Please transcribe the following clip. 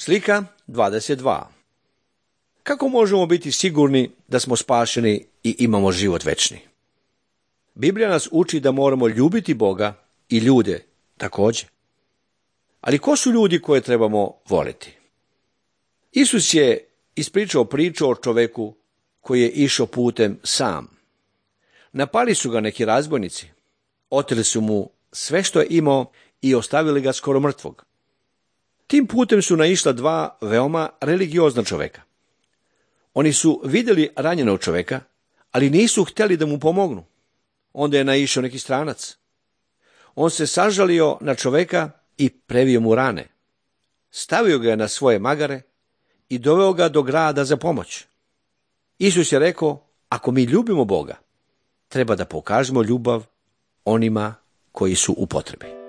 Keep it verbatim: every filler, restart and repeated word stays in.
Slika dvadeset dva. Kako možemo biti sigurni da smo spašeni i imamo život večni? Biblija nas uči da moramo ljubiti Boga i ljude također. Ali ko su ljudi koje trebamo voliti? Isus je ispričao priču o čoveku koji je išao putem sam. Napali su ga neki razbojnici, oteli su mu sve što je imao i ostavili ga skoro mrtvog. Tim putem su naišla dva veoma religiozna čoveka. Oni su vidjeli ranjenog čoveka, ali nisu htjeli da mu pomognu. Onda je naišao neki stranac. On se sažalio na čoveka i previo mu rane. Stavio ga na svoje magare i doveo ga do grada za pomoć. Isus je rekao, ako mi ljubimo Boga, treba da pokažemo ljubav onima koji su u potrebi.